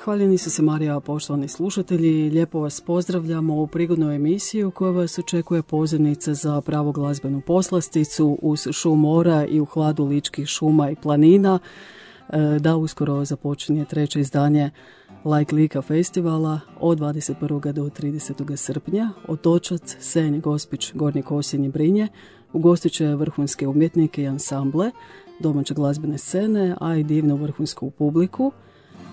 Hvaljeni su se Marija, poštovani slušatelji. Lijepo vas pozdravljamo u prigodnu emisiju koja vas očekuje pozivnica za pravu glazbenu poslasticu uz šum mora i u hladu ličkih šuma i planina. Da uskoro započinje treće izdanje Like Lika festivala od 21. do 30. srpnja. Otočac, Senj, Gospić, Gornji Kosinj i Brinje ugostit će vrhunske umjetnike i ansamble, domaće glazbene scene, a i divnu vrhunsku publiku.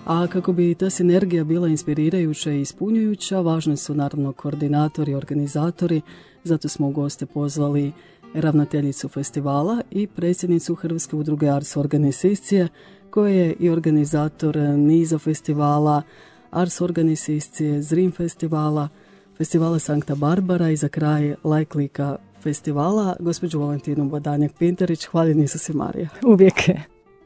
A kako bi ta sinergija bila inspirirajuća i ispunjujuća, važni su naravno koordinatori i organizatori, zato smo u goste pozvali ravnateljicu festivala i predsjednicu Hrvatske udruge Ars Organizacije, koja je i organizator niza festivala, Ars Organizacije, Zrim festivala, festivala Sankta Barbara i za kraj Like Lika festivala, gospođu Valentinu Badanjak-Pintarić. Hvaljeni su se Marija. Uvijek je.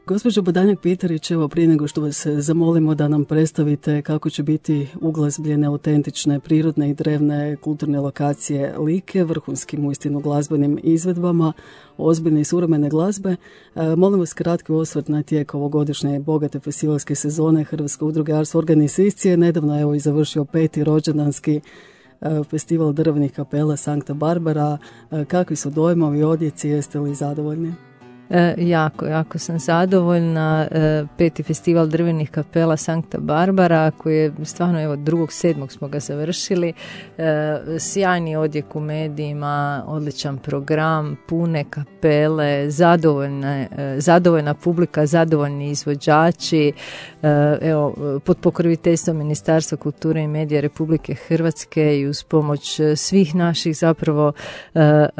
Gospođo Badanjak-Pintarić, evo prije nego što vas zamolimo da nam predstavite kako će biti uglazbljene autentične, prirodne i drevne kulturne lokacije Like, vrhunskim uistinu glazbenim izvedbama, ozbiljne i suvremene glazbe, molim vas kratki osvrt na tijek ovogodišnje bogate festivalske sezone Hrvatske udruge Ars Organizacije. Nedavno evo i završio 5. rođendanski festival drvenih kapela Sankta Barbara. Kakvi su dojmovi, odjeci, jeste li zadovoljni? Jako sam zadovoljna. 5. festival drvenih kapela Sankta Barbara, koji je stvarno, evo, 2.7. smo ga završili. Sjajni odjek u medijima, odličan program, pune kapele, zadovoljna publika, zadovoljni izvođači. Evo, pod pokroviteljstvom Ministarstva kulture i medija Republike Hrvatske i uz pomoć svih naših zapravo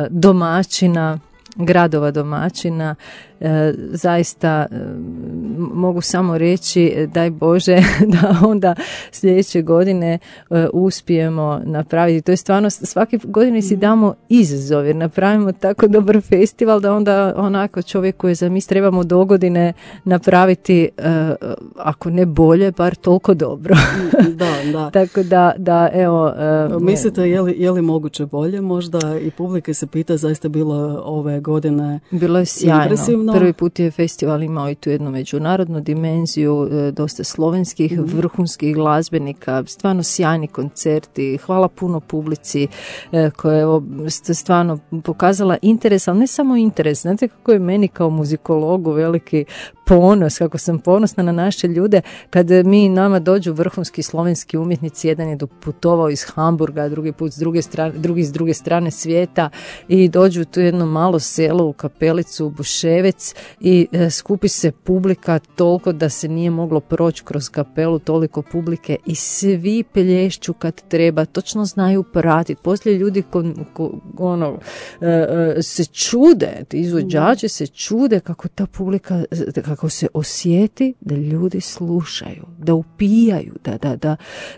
domaćina, gradova domaćina, zaista mogu samo reći daj Bože da onda sljedeće godine uspijemo napraviti. To je stvarno, svake godine si damo izazov jer napravimo tako dobar festival da onda onako čovjek koji zamisli trebamo dogodine napraviti, ako ne bolje, bar toliko dobro. Da. Tako da evo... Mislite je li moguće bolje? Možda i publika se pita, zaista bilo ove godine bilo je sjajno. Impresivno. Prvi put je festival imao i tu jednu međunarodnu dimenziju, dosta slovenskih vrhunskih glazbenika, stvarno sjajni koncerti, hvala puno publici koja je stvarno pokazala interes, ali ne samo interes, znate kako je meni kao muzikologu veliki ponos, kako sam ponosna na naše ljude, kad nama dođu vrhunski slovenski umjetnici, jedan je doputovao iz Hamburga, drugi put drugi s druge strane svijeta i dođu u tu jedno malo selo u kapelicu u Buševec i skupi se publika toliko da se nije moglo proći kroz kapelu, toliko publike i svi pelješću kad treba, točno znaju pratiti. Poslije ljudi se čude, ti izvođači se čude kako ta publika, kako se osjeti da ljudi slušaju, da upijaju,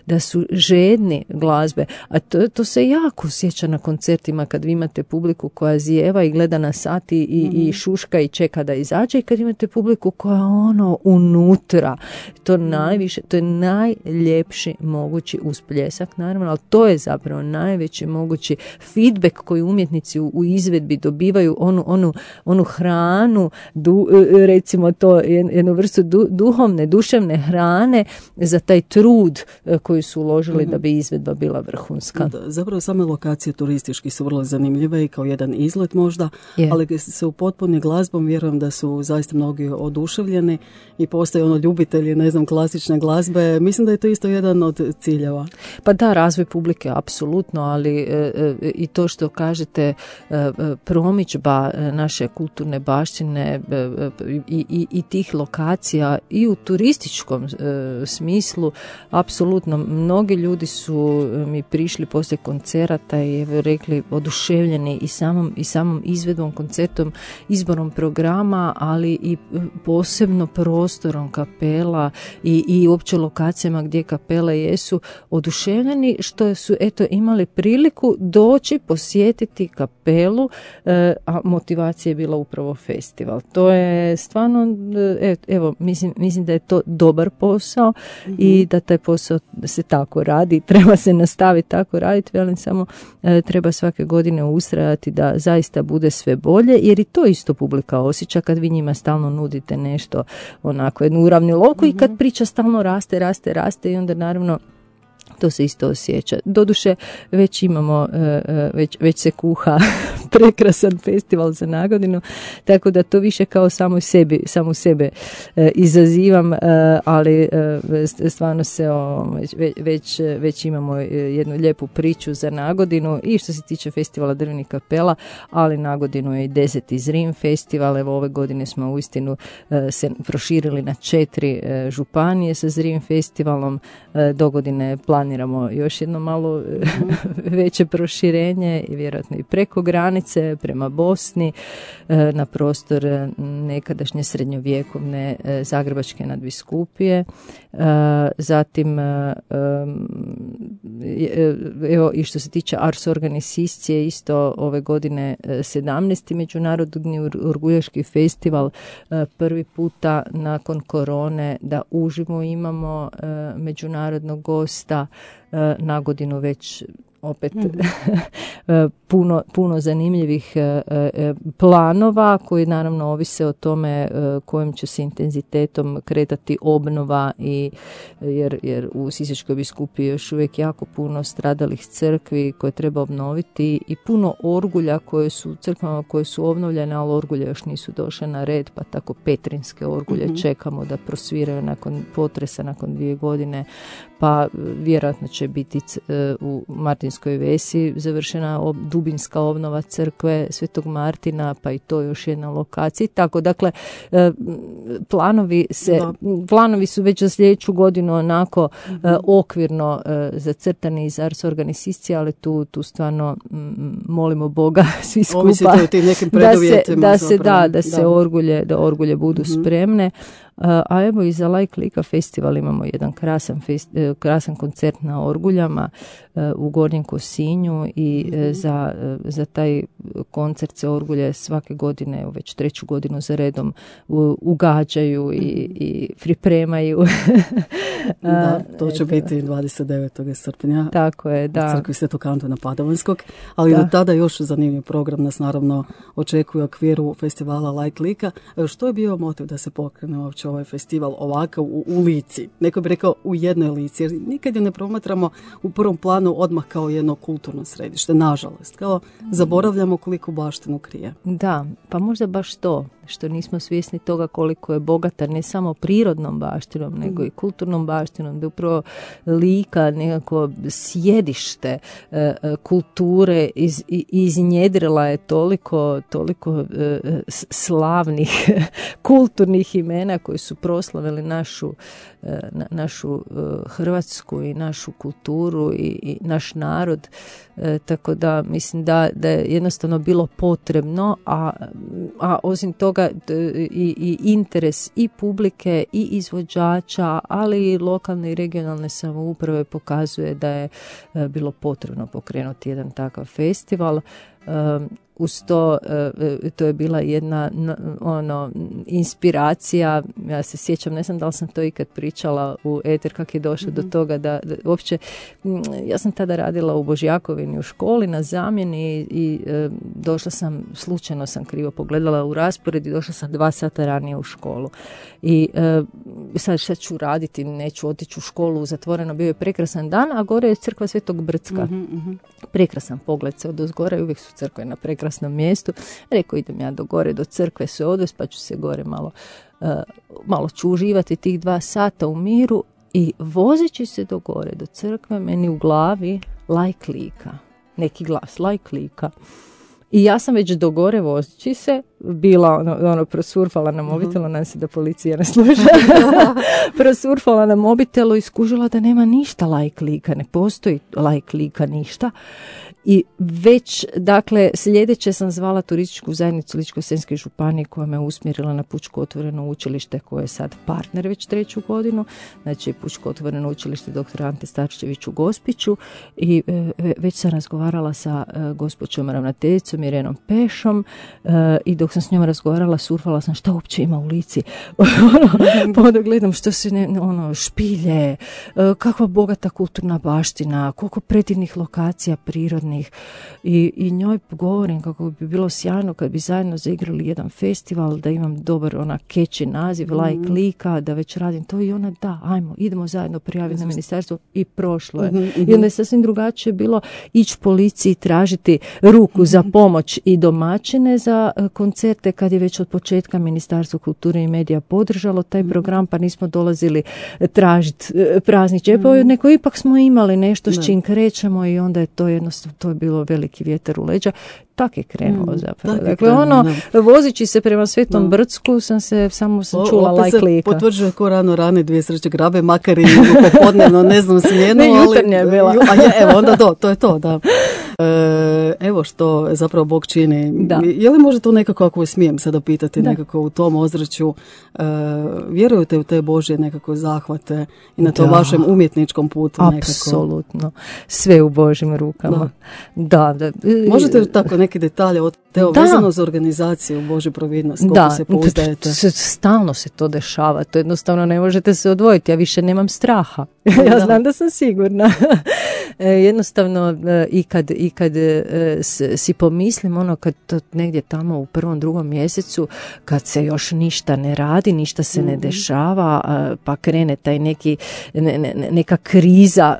da su žedni glazbe. A to se jako osjeća na koncertima kad vi imate publiku koja zijeva i gleda na sat i šuška i čeka da izađe i kad imate publiku koja unutra. To je najljepši mogući uspljesak, naravno, ali to je zapravo najveći mogući feedback koji umjetnici u izvedbi dobivaju, onu hranu, recimo to, jednu vrstu duševne hrane za taj trud koji su uložili da bi izvedba bila vrhunska. Zapravo same lokacije turistički su vrlo zanimljive i kao jedan izlet možda, ali se upotpuni glazbom, vjerujem da su zaista mnogi oduševljeni i postoje ljubitelji, klasične glazbe. Mislim da je to isto jedan od ciljeva. Pa da, razvoj publike, apsolutno, ali i to što kažete, promidžba naše kulturne baštine i tih lokacija i u turističkom smislu, apsolutno. Mnogi ljudi su mi prišli poslije koncerata i rekli oduševljeni i samom izvedbom, koncertom, izborom programa, ali i posebno prostorom kapela i uopće lokacijama gdje kapele jesu, oduševljeni što su imali priliku doći posjetiti kapelu, a motivacija je bila upravo festival. To je stvarno, evo, mislim da je to dobar posao i da taj posao se tako radi, treba se nastaviti tako raditi, velim, samo treba svake godine ustrajati da zaista bude sve bolje, jer i to isto publika osjeća kad vi njima stalno nudite nešto, onako jednu uravnilovku i kad priča stalno raste i onda naravno to se isto osjeća. Doduše, već imamo, već se kuha prekrasan festival za nagodinu, tako da to više kao samo sebe izazivam, ali stvarno se već imamo jednu lijepu priču za nagodinu i što se tiče festivala drvenih kapela, ali nagodinu je i 10. Zrim festival. Evo ove godine smo uistinu se proširili na 4 županije sa Zrim festivalom. Dogodine planiramo još jedno malo veće proširenje i vjerojatno i preko granice prema Bosni na prostor nekadašnje srednjovjekovne Zagrebačke nadbiskupije. Zatim evo i što se tiče Ars Organiciscije, isto ove godine 17. Međunarodni orguljaški festival, prvi puta nakon korone da uživo imamo međunarodnog gosta, na godinu već opet puno zanimljivih planova koji naravno ovise o tome kojim će se intenzitetom kretati obnova i jer u Sisačkoj biskupiji je još uvijek jako puno stradalih crkvi koje treba obnoviti i puno orgulja koje su crkvama koje su obnovljene, ali orgulje još nisu došle na red, pa tako petrinske orgulje čekamo da prosviraju nakon potresa, nakon 2 godine, pa vjerojatno će biti u Martinskoj Vesi završena dubinska obnova crkve Svetog Martina, pa i to još jedna lokacija. Tako, dakle, planovi su već za sljedeću godinu onako okvirno zacrtani iz Ars Organiciscije, ali tu stvarno molimo Boga svi skupa da orgulje budu spremne. A evo i za Like Lika festival imamo jedan krasan koncert na orguljama u Gornjem Kosinju i za taj koncert se orgulje svake godine, već 3. godinu za redom ugađaju i pripremaju. Da, to će biti 29. srpnja. Tako je, da. U crkvi Svetog Antuna Padovanskog, ali do tada još zanimljiv program nas naravno očekuje u okviru festivala Like Lika. Što je bio motiv da se pokrene uopće ovaj festival ovakav u Lici? Neko bi rekao u jednoj Lici, jer nikad je ne promatramo u prvom planu odmah kao jedno kulturno središte, nažalost. Kao zaboravljamo koliko baštinu krije. Da, pa možda baš to, što nismo svjesni toga koliko je bogata ne samo prirodnom baštinom, nego i kulturnom baštinom, da upravo Lika nekako sjedište kulture iznjedrila je toliko slavnih kulturnih imena koji su proslavili našu Hrvatsku i našu kulturu i naš narod, tako da mislim da je jednostavno bilo potrebno, a osim toga i interes i publike i izvođača, ali i lokalne i regionalne samouprave pokazuje da je bilo potrebno pokrenuti jedan takav festival. Uz to je bila jedna inspiracija, ja se sjećam, ne znam da li sam to ikad pričala u eter, kako je došlo do toga da uopće, ja sam tada radila u Božjakovini u školi na zamjeni i došla sam, slučajno sam krivo pogledala u raspored i došla sam 2 sata ranije u školu. I sad šta ću raditi, neću otići u školu, zatvoreno, bio je prekrasan dan, a gore je crkva Svetog Brcka. Prekrasan pogled se odozgora i uvijek su crkve na prekrasnom mjestu. Rekao, idem ja do gore, do crkve se odvesti, pa ću se gore malo ću uživati tih 2 sata u miru i vozeći se do gore, do crkve, meni u glavi Like Lika. Neki glas, Like Lika. I ja sam već do gore vozeći se bila prosurfala na mobitelu, nadam se da policija ne sluša, prosurfala na mobitelu i skužila da nema ništa Like Lika, ne postoji Like Lika ništa. I već, dakle, sljedeće sam zvala turističku zajednicu Ličko-senjske županije koja me usmjerila na Pučko otvoreno učilište koje je sad partner već 3. godinu, znači Pučko otvoreno učilište dr. Ante Starčević u Gospiću i već sam razgovarala sa gospođom ravnateljicom Irenom Pešom i dok sam s njom razgovarala, surfala sam šta uopće ima u Lici. Pa onda gledam što se špilje, kakva bogata kulturna baština, koliko predivnih lokacija prirodnih, kreativnih i njoj govorim kako bi bilo sjajno kad bi zajedno zaigrali jedan festival, da imam dobar catchy naziv, like lika, da već radim to i ona da, ajmo, idemo zajedno prijaviti na ministarstvo i prošlo je. I onda je sasvim drugačije bilo ići policiji tražiti ruku za pomoć i domaćine za koncerte kad je već od početka Ministarstvo kulture i medija podržalo taj program, pa nismo dolazili tražiti prazni čepove, nego ipak smo imali nešto s čim krećemo i onda je to jednostavno, to je bilo veliki vjetar u leđa. Tak je krenulo zapravo. Dakle, vozići se prema Svetom Brdsku sam čula like lika. Opet se potvrđuje ko rano dvije sreće grabe, makar i popodnevno, ne znam smjenu. Ne, jutarnja je bila. Evo, onda to je to, da. Evo što zapravo Bog čini. Da. Je li možda to nekako, ako smijem sada pitati, nekako u tom ozračju, vjerujete u te Božje nekako zahvate i na tom vašem umjetničkom putu nekako? Apsolutno. Sve u Božjim rukama. Da. Možete li tako neke detalje od teo vezano za organizaciju Božju providnost, koliko se pouzdajete? Stalno se to dešava, to jednostavno ne možete se odvojiti, ja više nemam straha. Ja znam da sam sigurna. Jednostavno i kad si pomislim kad to negdje tamo u 1. 2. mjesecu, kad se još ništa ne radi, ništa se ne dešava, pa krene taj neka kriza,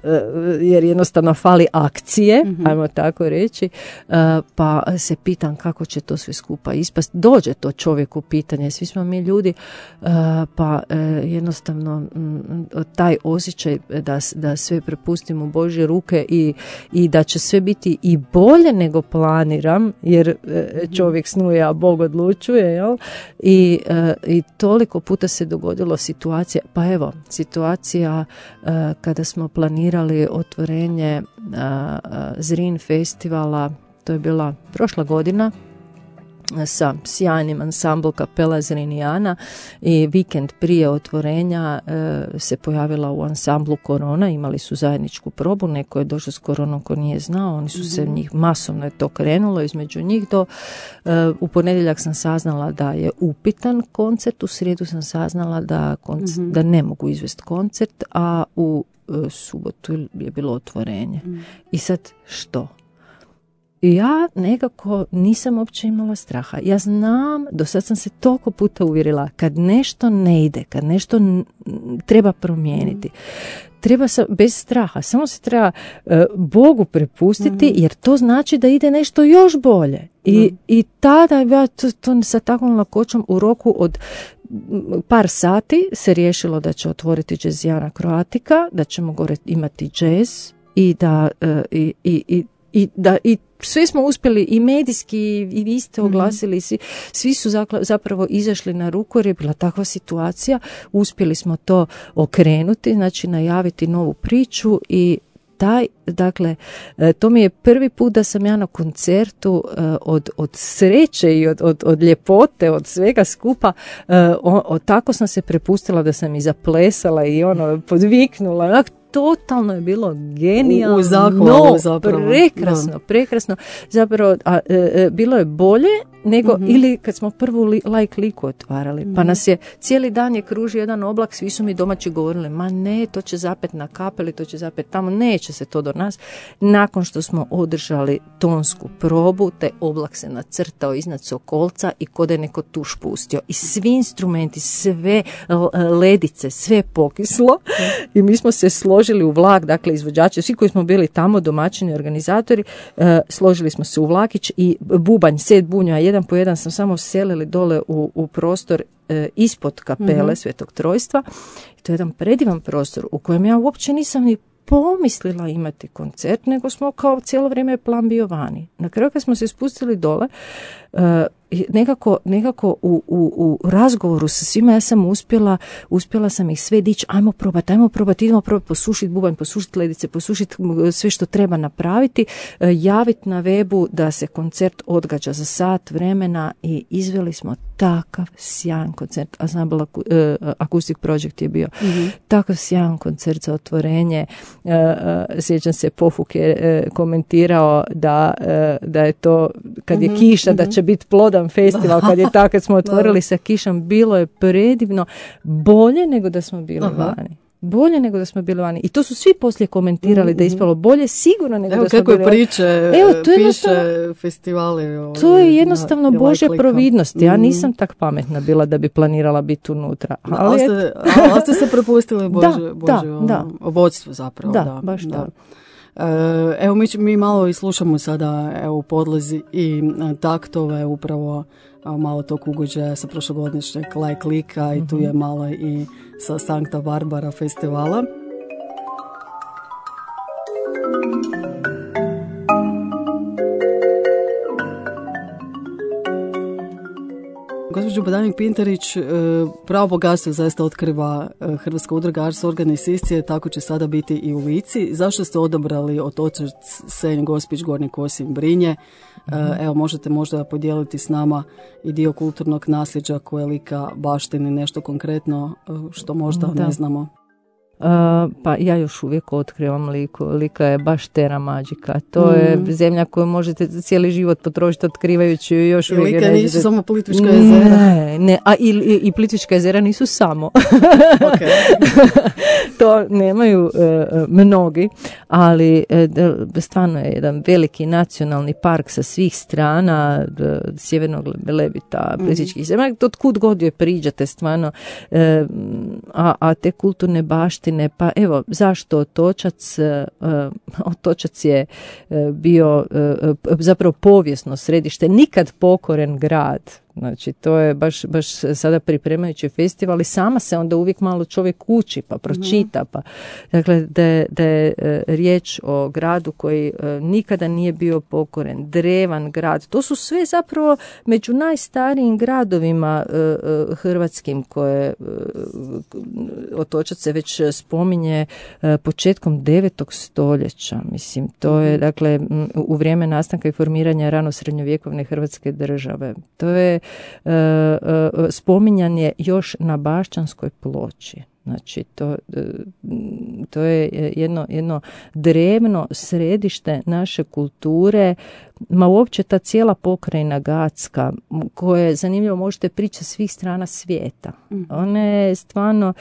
jer jednostavno fali akcije, ajmo tako reći, pa se pitam kako će to sve skupa ispast. Dođe to čovjeku pitanje, svi smo mi ljudi, pa jednostavno taj osjećaj da sve prepustim u Božje ruke i da će sve biti i bolje nego planiram, jer čovjek snuje, a Bog odlučuje, jel? I toliko puta se dogodilo situacija kada smo planirali otvorenje Zrin festivala, to je bila prošla godina, sa sjajnim ansambl kapela Zrinijana, i vikend prije otvorenja se pojavila u ansamblu Korona, imali su zajedničku probu, neko je došao s Koronom ko nije znao, oni su se njih, masovno je to krenulo između njih u ponedjeljak sam saznala da je upitan koncert, u srijedu sam saznala da ne mogu izvesti koncert, a u subotu je bilo otvorenje. I sad što? Ja nekako nisam uopće imala straha. Ja znam, do sad sam se toliko puta uvjerila, kad nešto ne ide, kad nešto treba promijeniti, treba bez straha, samo se treba Bogu prepustiti, jer to znači da ide nešto još bolje. I tada ja to sa takvom lakoćom u roku od par sati se riješilo da će otvoriti Jazzijana Croatica, da ćemo gore imati jazz i i sve smo uspjeli i medijski i vi ste oglasili, svi su zapravo izašli na ruku jer je bila takva situacija, uspjeli smo to okrenuti, znači najaviti novu priču i dakle, to mi je prvi put da sam ja na koncertu od sreće i od ljepote, od svega skupa, tako sam se prepustila da sam i zaplesala i podviknula, totalno je bilo genijalno, u zahvalu zapravo. Prekrasno. Zapravo, bilo je bolje nego ili kad smo prvu like liku otvarali. Pa nas je, cijeli dan je kružio jedan oblak, svi su mi domaći govorili, ma ne, to će zapet na kapeli, to će zapet tamo, neće se to do nas. Nakon što smo održali tonsku probu, taj oblak se nacrtao iznad Sokolca i kod je neko tuš pustio. I svi instrumenti, sve ledice, sve pokislo i mi smo se složili u vlak, dakle izvođači, svi koji smo bili tamo, domaćini, organizatori, složili smo se u vlakić i bubanj, set bunja, jedan po jedan sam samo selili dole u prostor ispod kapele Svetog Trojstva. I to je jedan predivan prostor u kojem ja uopće nisam ni pomislila imati koncert, nego smo kao cijelo vrijeme plan bio vani. Na kraju kad smo se spustili dole, nekako u razgovoru sa svima ja sam uspjela sam ih sve dići, ajmo probati, idemo probati posušiti bubanj, posušiti ledice, posušiti sve što treba napraviti, javiti na webu da se koncert odgađa za sat vremena i izveli smo takav sjajan koncert. Ansambl Acoustic Project je bio takav sjajan koncert za otvorenje. Sjećam se, Pofuk je komentirao da je to, kad je kiša, da će biti plodan festival, kad smo otvorili sa kišom, bilo je predivno, bolje nego da smo bili vani. Bolje nego da smo bili vani. I to su svi poslije komentirali da je ispalo bolje sigurno nego da smo bili vani. Evo kako je priče, piše festivali. To je jednostavno Božja providnost. Ja nisam tak pametna bila da bi planirala biti unutra. Ali ste se prepustili Božje vodstvo zapravo. Da, baš da. Evo mi malo i slušamo sada u podlozi i taktove upravo malo tog ugođaja sa prošlogodišnjeg Like Lika i tu je malo i sa Sankta Barbara festivala. Gospođo Badanik-Pintarić, pravo bogatstvo zaista otkriva Hrvatska udruga Ars Organizacije, tako će sada biti i u Lici. Zašto ste odabrali Otočac, Senj, Gospić, Gornji Kosinj, Brinje? Evo, možete možda podijeliti s nama i dio kulturnog nasljeđa koje Lika baštini, nešto konkretno što možda ne znamo. Pa ja još uvijek otkrivam Liku. Lika je baš terra magica. To je zemlja koju možete cijeli život potrošiti otkrivajući još uvijek. Lika nisu samo Plitvička jezera. Ne, a i Plitvička jezera nisu samo. To nemaju mnogi, ali stvarno je jedan veliki nacionalni park sa svih strana, Sjevernog Velebita, Plitvičkih jezera. Od kud god joj priđate stvarno, a te kulturne baštine. Pa evo, zašto Otočac? Otočac je bio zapravo povijesno središte, nikad pokoren grad. Znači, to je baš sada pripremajući festival i sama se onda uvijek malo čovjek uči pa pročita. Pa. Dakle, da je riječ o gradu koji nikada nije bio pokoren, drevan grad. To su sve zapravo među najstarijim gradovima hrvatskim koje Otočac se već spominje početkom 9. stoljeća. Mislim, to je dakle u vrijeme nastanka i formiranja rano srednjovjekovne Hrvatske države. To je spominjan je još na Bašćanskoj ploči. Znači, to je jedno drevno središte naše kulture, ma uopće ta cijela pokrajina Gacka, koja je zanimljivo, možete pričati svih strana svijeta. Ona je stvarno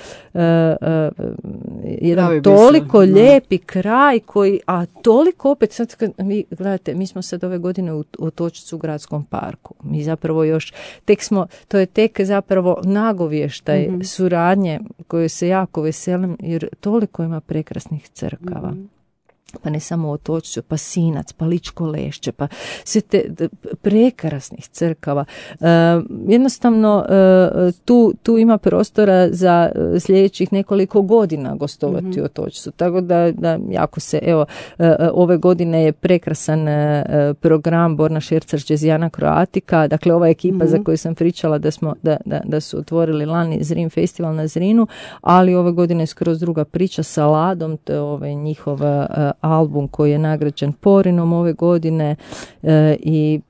jedan toliko lijepi kraj koji, a toliko opet, sad kad vi gledate, mi smo sad ove godine u Otočcu u gradskom parku. Mi zapravo još, to je tek zapravo nagovještaj suradnje koju se jako veselim, jer toliko ima prekrasnih crkava. Pa ne samo Otočcu, pa Sinac, pa Ličko Lešće, pa sve te prekrasnih crkava. Jednostavno, tu ima prostora za sljedećih nekoliko godina gostovati u Otočcu. Tako da jako se, evo, ove godine je prekrasan program Borna Šercar Jazzijana Croatica, dakle ova ekipa za koju sam pričala da su otvorili lani Zrin festival na Zrinu, ali ove godine je skroz druga priča sa Ladom, to je njihov album koji je nagrađen Porinom ove godine i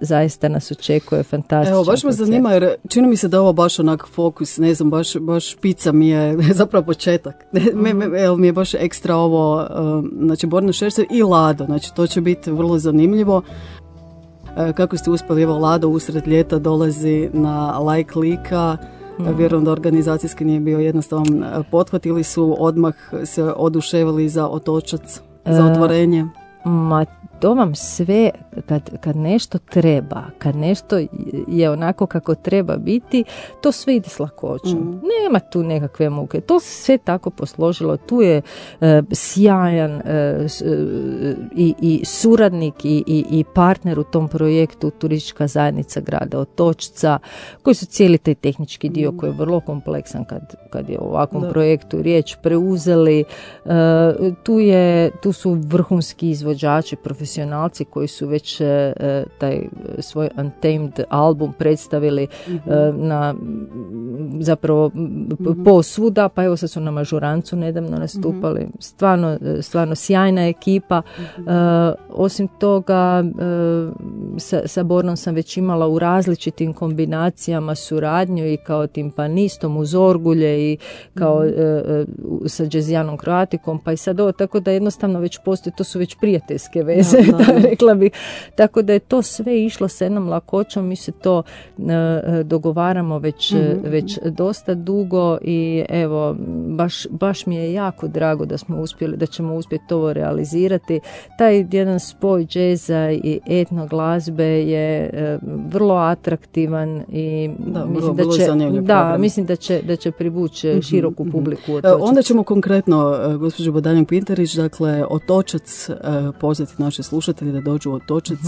zaista nas očekuje fantastičan Evo, baš me zanima jer čini mi se da je ovo baš onak fokus, ne znam, baš pica mi je zapravo početak. Mi je baš ekstra ovo, znači Borna Šercar i Lado, znači to će biti vrlo zanimljivo. Kako ste uspjeli, evo Lado usred ljeta dolazi na Like Lika. Vjerujem da organizacijski nije bio jednostavan pothvat ili su odmah se oduševili za Otočac, za otvorenje? To vam sve, kad nešto treba, kad nešto je onako kako treba biti, to sve ide s lakoćom. Nema tu nekakve muke. To se sve tako posložilo. Tu je sjajan i suradnik i partner u tom projektu, turistička zajednica grada Otočca, koji su cijeli taj tehnički dio koji je vrlo kompleksan kad je o ovakvom projektu riječ preuzeli. Tu su vrhunski izvođači, profesionalci koji su već taj svoj Untamed album predstavili na zapravo posvuda, pa evo sad su na Mažurancu nedavno nastupali. Stvarno sjajna ekipa. Osim toga, sa Bornom sam već imala u različitim kombinacijama suradnju i kao timpanistom uz orgulje i kao sa Jazzijanom Croaticom, pa i sad ovo, tako da jednostavno već postoji, to su već prijateljske veze, rekla bih. Tako da je to sve išlo s jednom lakoćom, mi se to dogovaramo već dosta dugo i evo, baš mi je jako drago da ćemo uspjeti ovo realizirati. Taj jedan spoj džeza i etno glazbe je vrlo atraktivan i mislim da će privući široku publiku. Onda ćemo konkretno, gospođo Badanjak-Pinterić, dakle, Otočac, pozvati naše slušatelje da dođu u Otočac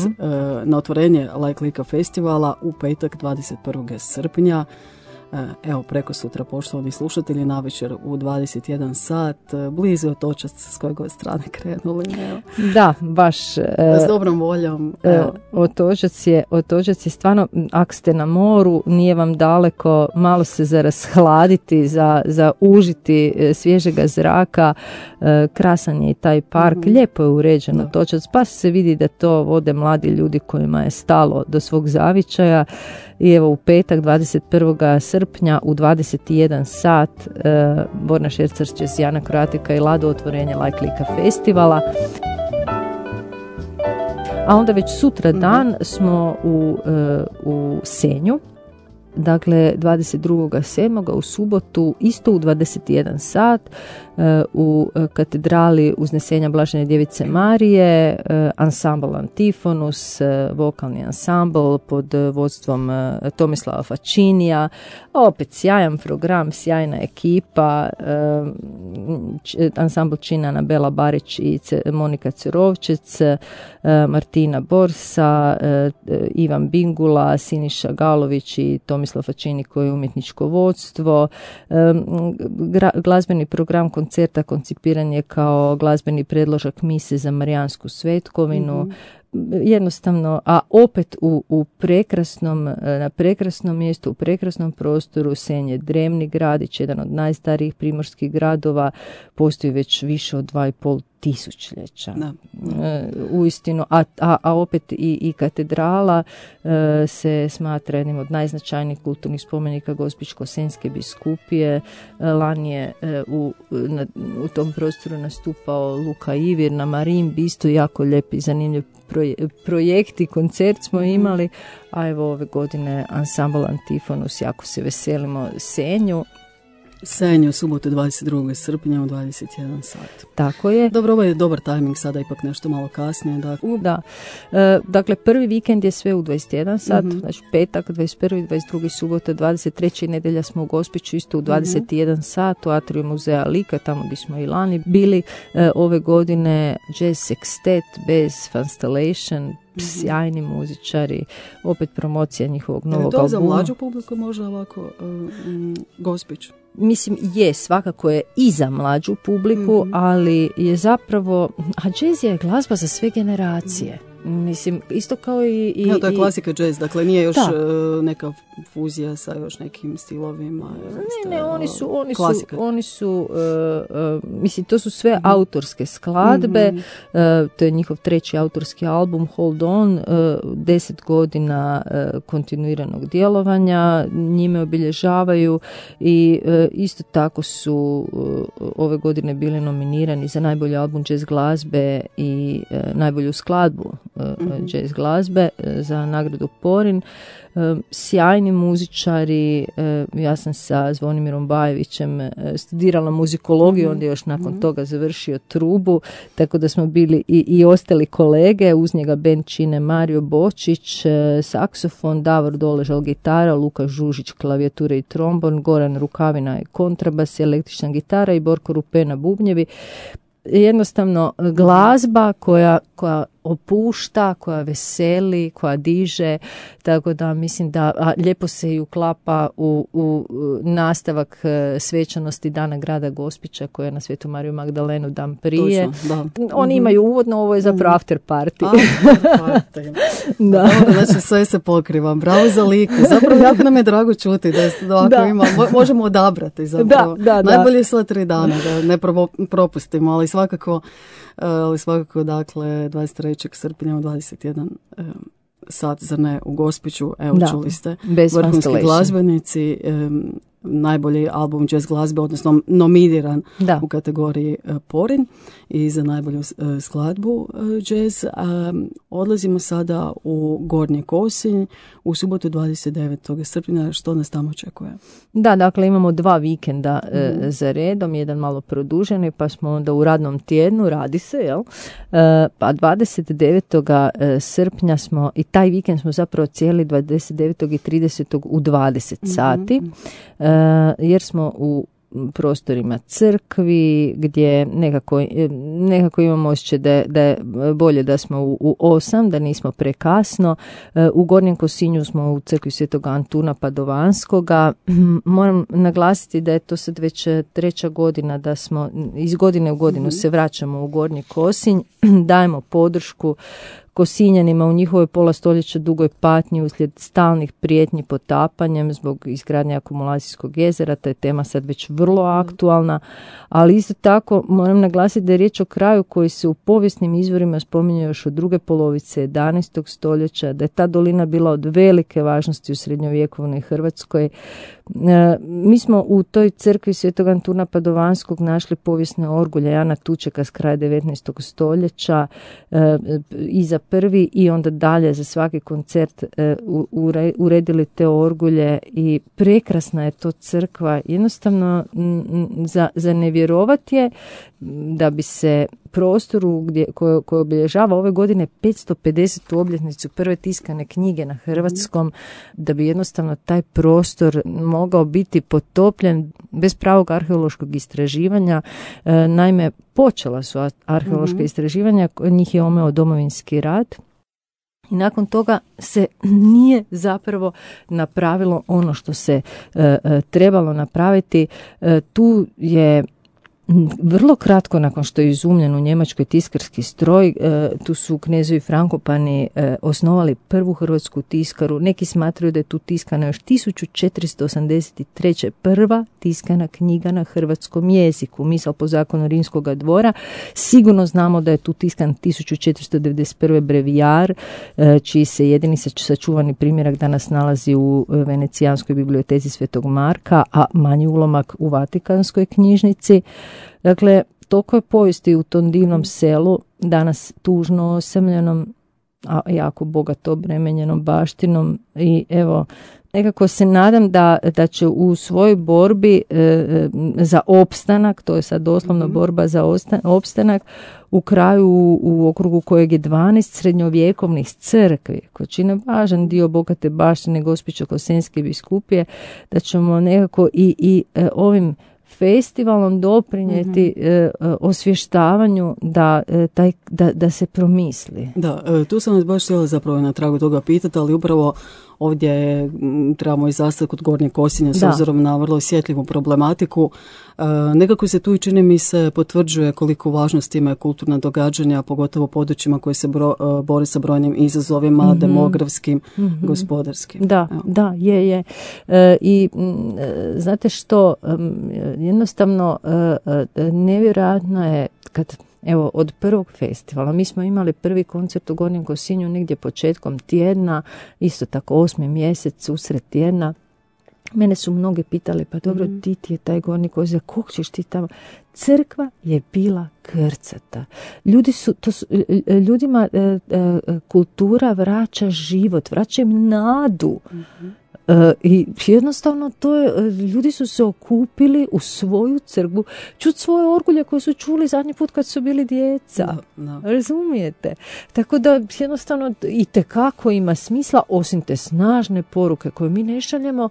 na otvorenje Like Lika festivala u petak 21. srpnja. Evo, preko sutra, poštovani slušatelji, navečer u 21 sat, blizu Otočac, s koje god strane krenuli. Evo. Da, baš. S dobrom voljom. Otočac je stvarno, ako ste na moru, nije vam daleko, malo se za rashladiti, za užiti svježega zraka, krasan je i taj park, lijepo je uređen Otočac, pa se vidi da to vode mladi ljudi kojima je stalo do svog zavičaja. I evo, u petak 21. srpnja u 21 sat Borna Šercar će s Jana Kroatika i Lado otvorenje Like Lika festivala. A onda već sutra dan smo u Senju. Dakle, 22.7. u subotu, isto u 21 sat, u katedrali Uznesenja Blažene Djevice Marije, ansambl Antifonus, vokalni ansambl pod vodstvom Tomislava Fačinija, opet sjajan program, sjajna ekipa, ansambl čine Anabela Barić i Monika Cerovčec, Martina Borsa, Ivan Bingula, Siniša Galović i Tomislav Fačini koji je umjetničko vodstvo. Glazbeni program koncerta koncipiran je kao glazbeni predložak mise za Marijansku svetkovinu. Jednostavno, a opet u na prekrasnom mjestu, u prekrasnom prostoru. Senj je drevni gradić, jedan od najstarijih primorskih gradova, postoji već više od 2,5 tisućljeća. Uistinu, a opet i katedrala se smatra jednim od najznačajnijih kulturnih spomenika Gospićko-senjske biskupije. Lani je u tom prostoru nastupao Luka Ivir na Marimbi, isto jako lijep i zanimljiv projekt i koncert smo imali, a evo ove godine ansambl Antifonus, jako se veselimo Senju, subotu 22. srpnja u 21 sat. Tako je. Dobro, ovo je dobar tajming, sada ipak nešto malo kasnije. Da. Dakle, prvi vikend je sve u 21 sat, znači petak, 21. 22. subota, 23. nedjelja smo u Gospiću, isto u 21 sat, u atriju muzeja Lika, tamo gdje smo i lani bili. Ove godine jazz sextet bez Fanstellation, sjajni muzičari, opet promocija njihovog novog albuma. Je to za mlađu publiku možda ovako Gospić? Mislim, svakako je i za mlađu publiku, ali je zapravo, a jazz je glazba za sve generacije. Mislim, isto kao i... to je klasika jazz, dakle nije još neka fuzija sa još nekim stilovima. Oni su mislim, to su sve autorske skladbe, to je njihov treći autorski album Hold On, 10 godina kontinuiranog djelovanja, njime obilježavaju i isto tako su ove godine bili nominirani za najbolji album jazz glazbe i najbolju skladbu jazz glazbe za nagradu Porin. Sjajni muzičari, ja sam sa Zvonimirom Bajevićem studirala muzikologiju, onda još nakon toga završio trubu, tako da smo bili i ostali kolege, uz njega bend čine Mario Bočić, saksofon, Davor Doležal gitara, Luka Žužić klavijature i trombon, Goran Rukavina i kontrabas, električna gitara i Borko Rupena bubnjevi. Jednostavno glazba koja opušta, koja veseli, koja diže, tako da mislim da lijepo se i uklapa u nastavak svečanosti Dana grada Gospića koja je na Svetu Mariju Magdalenu dan prije. Točno, da. Oni imaju uvodno, ovo je zapravo after party. Da. Znači sve se pokriva. Bravo za Liku. Zapravo jako nam je drago čuti da ima, možemo odabrati zapravo. Najbolje sva 3 dana, da ne propustimo, ali svakako dakle 23. srpnja u 21 sat, zar ne, u Gospiću, evo čuli ste, vrhunski glazbenici, najbolji album jazz glazbe, odnosno nominiran u kategoriji Porin i za najbolju skladbu jazz. Odlazimo sada u Gornji Kosinj u subotu 29. srpnja. Što nas tamo očekuje? Da, dakle imamo 2 vikenda za redom, jedan malo produženi, pa smo onda u radnom tjednu, radi se, jel? Pa 29. srpnja smo, i taj vikend smo zapravo cijeli 29. i 30. u 20 sati, jer smo u prostorima crkvi gdje nekako imamo osjećaj da je bolje da smo u 8, da nismo prekasno. U Gornjem Kosinju smo u crkvi Svetog Antuna Padovanskoga. Moram naglasiti da je to sad već 3. godina da smo iz godine u godinu se vraćamo u Gornji Kosinj, dajemo podršku Kosinjanima u njihovoj pola stoljeća dugoj patnji uslijed stalnih prijetnji potapanjem zbog izgradnje akumulacijskog jezera. Ta je tema sad već vrlo aktualna, ali isto tako moram naglasiti da je riječ o kraju koji se u povijesnim izvorima spominje još od druge polovice 11. stoljeća, da je ta dolina bila od velike važnosti u srednjovjekovnoj Hrvatskoj. Mi smo u toj crkvi Svetog Antuna Padovanskog našli povijesne orgulje Jana Tučeka s kraja 19. stoljeća i za prvi i onda dalje za svaki koncert uredili te orgulje i prekrasna je to crkva. Jednostavno za ne vjerovati je da bi se prostoru koji obilježava ove godine 550. obljetnicu prve tiskane knjige na hrvatskom, da bi jednostavno taj prostor mogao biti potopljen bez pravog arheološkog istraživanja. Naime, počela su arheološka istraživanja, njih je omeo Domovinski rat. I nakon toga se nije zapravo napravilo ono što se trebalo napraviti. Tu je vrlo kratko nakon što je izumljen u Njemačkoj tiskarski stroj, tu su knezovi Frankopani osnovali prvu hrvatsku tiskaru. Neki smatraju da je tu tiskana još 1483. prva tiskana knjiga na hrvatskom jeziku. Misal po zakonu Rimskoga dvora. Sigurno znamo da je tu tiskan 1491. brevijar, čiji se jedini sačuvani primjerak danas nalazi u Venecijanskoj biblioteci Svetog Marka, a manji ulomak u Vatikanskoj knjižnici. Dakle, toliko je povijesti u tom divnom selu, danas tužno osamljenom, a jako bogato obremenjenom baštinom i evo, nekako se nadam da će u svojoj borbi za opstanak, to je sad doslovno borba za opstanak, u kraju u okrugu kojeg je 12 srednjovjekovnih crkvi, koji čine važan dio bogate baštine Gospićko-Kosenske biskupije, da ćemo nekako i ovim festivalom doprinijeti osvještavanju da se promisli. Da, tu sam vas baš htjela zapravo na tragu toga pitati, ali upravo ovdje trebamo i zastati kod Gornjeg Kosinja s obzirom na vrlo osjetljivu problematiku. Nekako se tu i čini mi se potvrđuje koliko važnost imaju kulturna događanja, pogotovo u područjima koje se bore sa brojnim izazovima, demografskim, gospodarskim. Da, je. I znate što, jednostavno nevjerojatno je kad evo, od prvog festivala, mi smo imali prvi koncert u Gornjem Kosinju negdje početkom tjedna, isto tako 8. mjesec, usred tjedna. Mene su mnogi pitali, pa dobro, ti je taj Gornji Kosinj, kog ćeš ti tamo? Crkva je bila krcata. Ljudima kultura vraća život, vraća im nadu. I jednostavno ljudi su se okupili u svoju crkvu, čuti svoje orgulje koje su čuli zadnji put kad su bili djeca. Razumijete? Tako da jednostavno itekako ima smisla, osim te snažne poruke koje mi ne šaljemo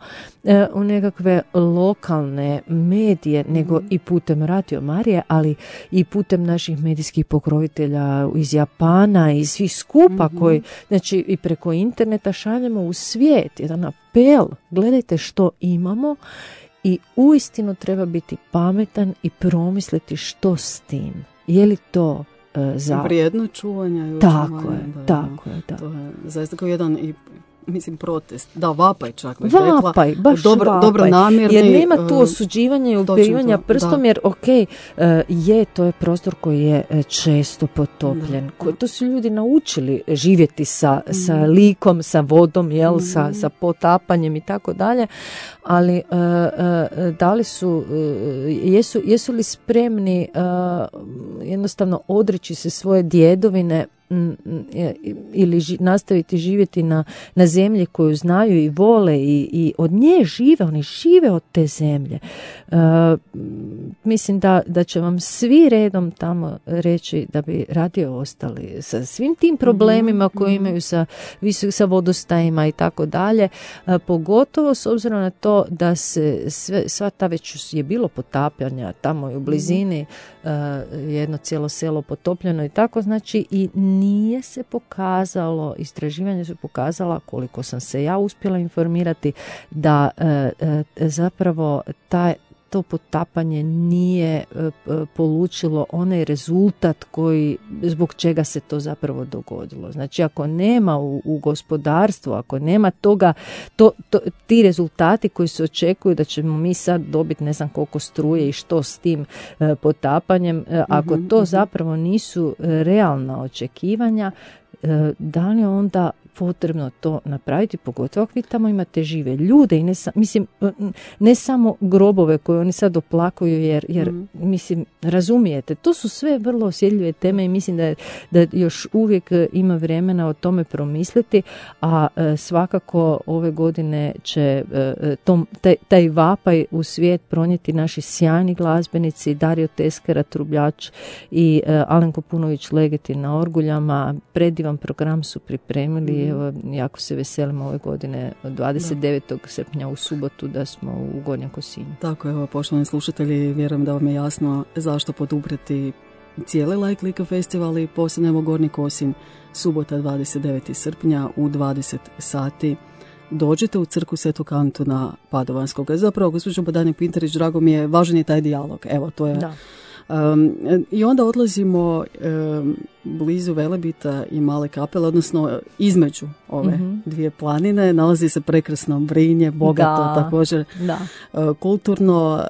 u nekakve lokalne medije, nego i putem Radio Marije, ali i putem naših medijskih pokrovitelja iz Japana i svih skupa koji, znači i preko interneta šaljemo u svijet jedan apel, gledajte što imamo i uistinu treba biti pametan i promisliti što s tim. Je li to vrijedno čuvanja? Tako je. To je zaista kao jedan i mislim protest, da, vapaj čak. Vapaj, baš dobro namjerni. Jer nema tu osuđivanja i upirivanja prstom, jer to je prostor koji je često potopljen. To su ljudi naučili živjeti sa likom, sa vodom, sa potapanjem i tako dalje, ali da li su, jesu li spremni jednostavno odreći se svoje djedovine ili nastaviti živjeti na zemlji koju znaju i vole i od nje žive, oni žive od te zemlje. Mislim da će vam svi redom tamo reći da bi radije ostali sa svim tim problemima koje imaju sa vodostajima i tako dalje, pogotovo s obzirom na to da se sva ta već je bilo potapljanja tamo i u blizini, jedno cijelo selo potopljeno i tako, znači i nije se pokazalo, istraživanja su pokazala, koliko sam se ja uspjela informirati, da zapravo to potapanje nije polučilo onaj rezultat zbog čega se to zapravo dogodilo. Znači, ako nema u gospodarstvu, ako nema toga, ti rezultati koji se očekuju da ćemo mi sad dobiti ne znam koliko struje i što s tim potapanjem, ako to zapravo nisu realna očekivanja, da li onda potrebno to napraviti, pogotovo ako vi tamo imate žive ljude i ne samo grobove koje oni sad oplakuju jer mislim, razumijete, to su sve vrlo osjetljive teme i mislim da još uvijek ima vremena o tome promisliti, a svakako ove godine će taj vapaj u svijet pronijeti naši sjajni glazbenici, Dario Teskera, trubljač, i Alenko Punović Legeti na orguljama. Predivan program su pripremili. Evo, jako se veselimo ove godine, 29. srpnja u subotu, da smo u Gornjem Kosinju. Tako, evo, poštovani slušatelji, vjerujem da vam je jasno zašto poduprijeti cijeli Like Like festival i posebno Gornji Kosinj, subota 29. srpnja u 20 sati. Dođite u crkvu Svetog Antuna Padovanskog. Zapravo, gospođo Badanje Pintarić, drago mi je, važan je taj dijalog. Evo, to je... Da. I onda odlazimo blizu Velebita i Male Kapele, odnosno između ove dvije planine nalazi se prekrasno Brinje, bogato također kulturno.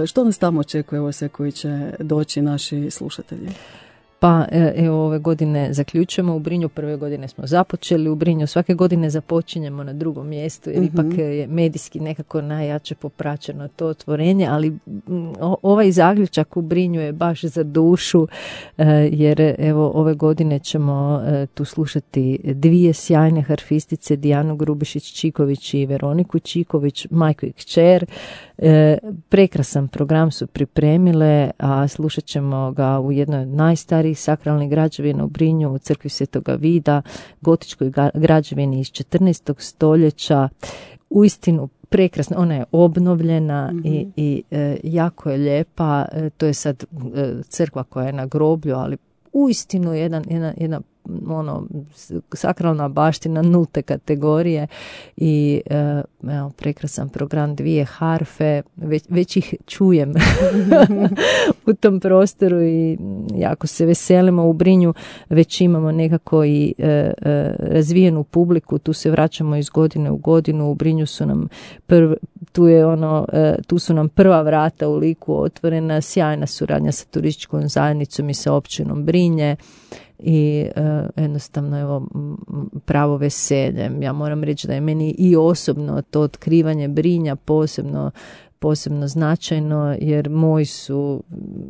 Što nas tamo očekuje, evo se, koji će doći naši slušatelji? Pa evo, ove godine zaključujemo u Brinju, prve godine smo započeli u Brinju, svake godine započinjemo na drugom mjestu jer ipak je medijski nekako najjače popraćeno to otvorenje, ali ovaj zaključak u Brinju je baš za dušu, jer evo ove godine ćemo tu slušati dvije sjajne harfistice, Dijanu Grubišić-Čiković i Veroniku Čiković, majku i kćer. Prekrasan program su pripremile, a slušat ćemo ga u jednoj od najstarijih sakralnih građevina u Brinju, u crkvi Svetoga Vida, gotičkoj građevini iz 14. stoljeća. Uistinu prekrasna, ona je obnovljena i jako je lijepa. To je sad crkva koja je na groblju, ali uistinu jedna sakralna baština nulte kategorije i prekrasan program, dvije harfe, već ih čujem u tom prostoru i jako se veselimo. U Brinju već imamo nekako i razvijenu publiku, tu se vraćamo iz godine u godinu. U Brinju su nam tu su nam prva vrata u Liku otvorena, sjajna suradnja sa turističkom zajednicom i sa općinom Brinje. I jednostavno, evo, pravo veselje. Ja moram reći da je meni i osobno to otkrivanje Brinja posebno značajno, jer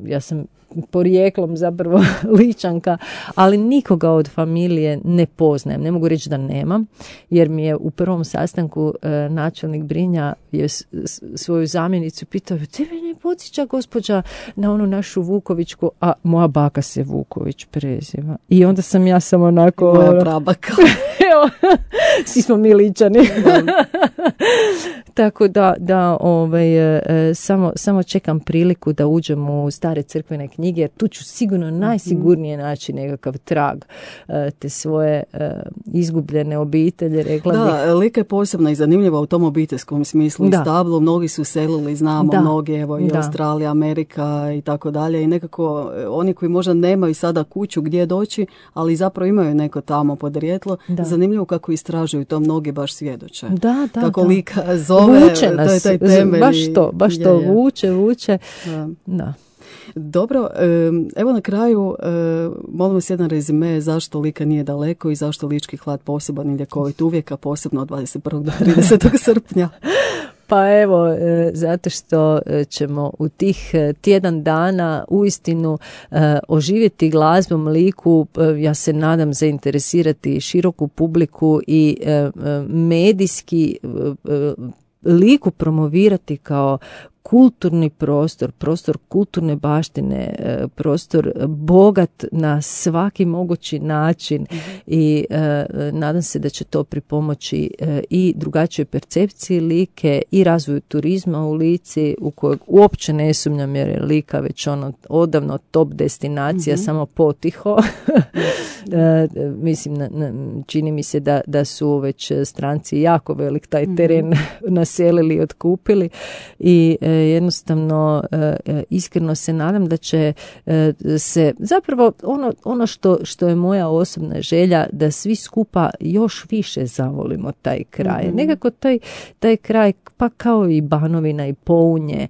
ja sam porijeklom zapravo Ličanka, ali nikoga od familije ne poznajem. Ne mogu reći da nemam, jer mi je u prvom sastanku načelnik Brinja je svoju zamjenicu pitao, tebe ne podsjeća gospođa na onu našu Vukovićku, a moja baka se Vuković preziva. I onda sam ja samo onako... Moja prabaka. Evo, svi smo mi Ličani. Tako da samo čekam priliku da uđem u stare crkvene knjige, jer tu ću sigurno najsigurnije naći nekakav trag te svoje izgubljene obitelji, rekla bih. Da, Lika je posebna i zanimljiva u tom obiteljskom smislu i stablu. Mnogi su selili, znamo, mnogi, evo i Australija, Amerika i tako dalje. I nekako oni koji možda nemaju sada kuću gdje doći, ali zapravo imaju neko tamo podrijetlo. Zanimljivo kako istražuju to, mnogi baš svjedoče. Kako Lika zove, vuče nas, to je taj temelj. Baš to vuče. Da. Dobro, evo na kraju molim vas jedan rezime zašto Lika nije daleko i zašto lički hlad poseban i ljekovit uvijek, a posebno od 21. do 30. srpnja. Pa evo, zato što ćemo u tih tjedan dana uistinu oživjeti glazbom Liku, ja se nadam zainteresirati široku publiku i medijski Liku promovirati kao kulturni prostor kulturne baštine, prostor bogat na svaki mogući način i nadam se da će to pripomoći i drugačijoj percepciji Like i razvoju turizma u Lici, u kojeg uopće ne sumnjam jer je Lika već odavno top destinacija, samo potiho. Mislim, čini mi se da su već stranci jako velik taj teren naselili i otkupili i jednostavno iskreno se nadam da će se zapravo ono što je moja osobna želja, da svi skupa još više zavolimo taj kraj. Nekako taj kraj, pa kao i Banovina i Pounje,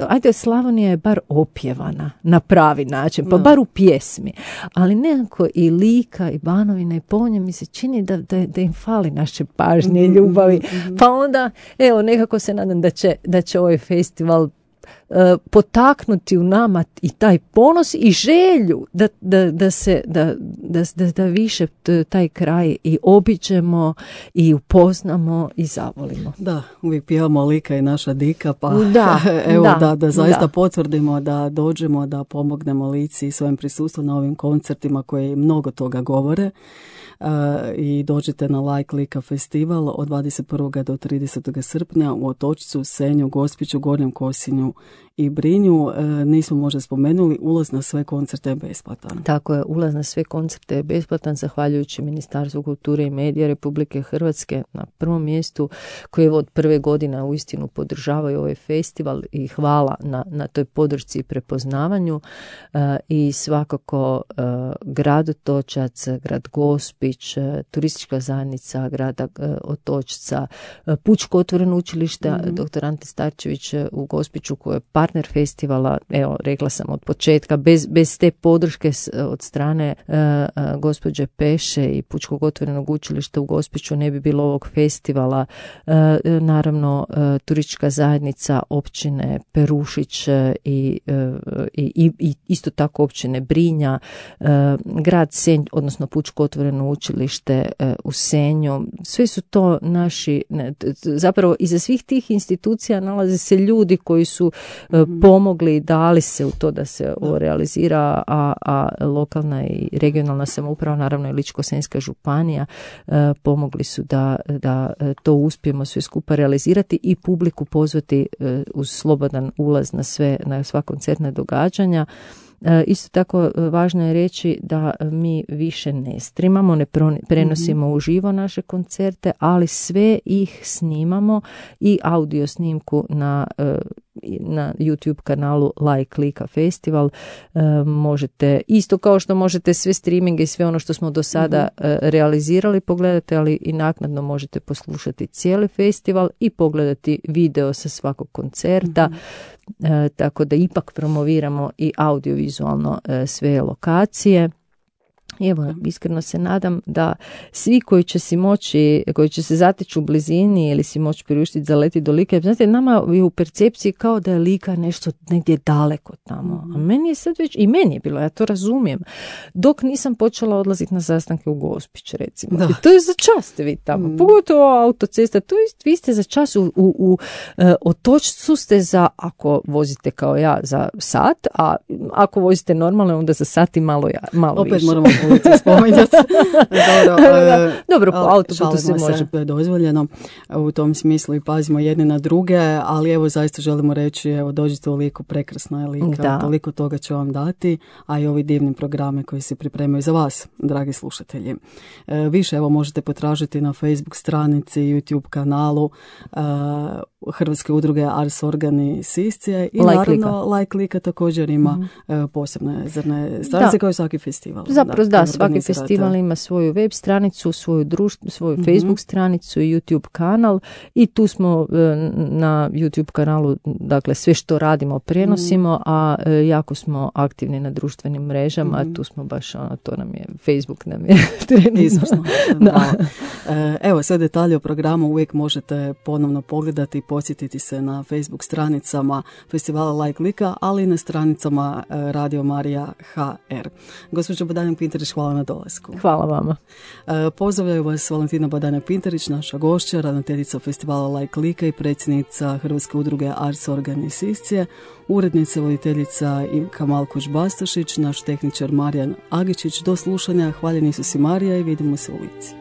ajde, Slavonija je bar opjevana na pravi način, pa bar u pjesmi, ali nekako i Lika i Banovina i Pounje mi se čini da im fali naše pažnje i ljubavi, pa onda evo nekako se nadam da će ovaj festival potaknuti u nama i taj ponos i želju da više taj kraj i obiđemo i upoznamo i zavolimo. Da, uvijek pjevamo Lika i naša dika, pa da zaista potvrdimo da dođemo, da pomognemo Lici svojim prisustvom na ovim koncertima koji mnogo toga govore. I dođete na Like Lika festival od 21. do 30. srpnja u Otočcu, Senju, Gospiću, Gornjem Kosinju i Brinju. Nismo možda spomenuli, ulaz na sve koncerte je besplatan. Tako je, ulaz na sve koncerte je besplatan zahvaljujući Ministarstvu kulture i medija Republike Hrvatske na prvom mjestu, koji od prve godine uistinu podržavaju ovaj festival i hvala na toj podršci i prepoznavanju. I svakako grad Otočac, grad Gospić, turistička zajednica grada Otočca, Pučko otvoreno učilište dr. Ante Starčević u Gospiću koje je partner festivala, evo rekla sam od početka, bez te podrške od strane gospođe Peše i Pučkog otvorenog učilišta u Gospiću ne bi bilo ovog festivala. Naravno turistička zajednica općine Perušić i isto tako općine Brinja, grad Senj, odnosno Pučko otvoreno učilište u Senju, sve su to naši, zapravo iza svih tih institucija nalaze se ljudi koji su pomogli, dali se u to da se ovo realizira, a lokalna i regionalna samouprava, naravno i Ličko-senjska županija, pomogli su da to uspijemo sve skupa realizirati i publiku pozvati uz slobodan ulaz na sva koncertna događanja. Isto tako važno je reći da mi više ne streamamo, ne prenosimo uživo naše koncerte, ali sve ih snimamo i audio snimku na YouTube kanalu Like Lika Festival. Možete, isto kao što možete sve streaminge i sve ono što smo do sada realizirali pogledati, ali i naknadno možete poslušati cijeli festival i pogledati video sa svakog koncerta. Tako da ipak promoviramo i audiovizualno sve lokacije. Evo, iskreno se nadam da svi koji će se zateći u blizini ili si moći priuštiti za leti do Like, znate, nama je u percepciji kao da je Lika nešto negdje daleko tamo. A meni je sad već, i meni je bilo, ja to razumijem, dok nisam počela odlaziti na sastanke u Gospić, recimo. I to je za čas ste vi tamo, pogotovo autocesta, to je, vi ste za čas u Otočcu ste ako vozite kao ja za sat, a ako vozite normalno onda za sat i malo opet više. Moramo ulicu spominjati. Dobro, po autoputu se može. Dozvoljeno u tom smislu i pazimo jedni na druge, ali evo zaista želimo reći, evo dođite u Liku, prekrasna je Lika, toliko toga će vam dati, a i ovi divni programe koji se pripremaju za vas, dragi slušatelji. Više evo možete potražiti na Facebook stranici, YouTube kanalu Hrvatske udruge Ars Organi Siscije i naravno Like Lika također ima posebne zrne stranice kao i svaki festival. Zapravo svaki festival ima svoju web stranicu, svoju Facebook stranicu i YouTube kanal i tu smo na YouTube kanalu, dakle sve što radimo prenosimo, a jako smo aktivni na društvenim mrežama, a tu smo baš to nam je, Facebook nam je trenutno. Evo sve detalje o programu uvijek možete ponovno pogledati i posjetiti se na Facebook stranicama festivala Like Lika, ali i na stranicama Radio Marija HR. Gospođo Badanjak-Pintarić, hvala na dolasku. Hvala vama. Pozdravljaju vas Valentina Badanjak-Pintarić, naša gošća, ravnateljica festivala Like Lika i predsjednica Hrvatske udruge Ars Organi Siscije, urednica, voditeljica Kamal Kuć-Bastašić, naš tehničar Marijan Agičić. Do slušanja, hvaljeni su si Marija i vidimo se u Lici.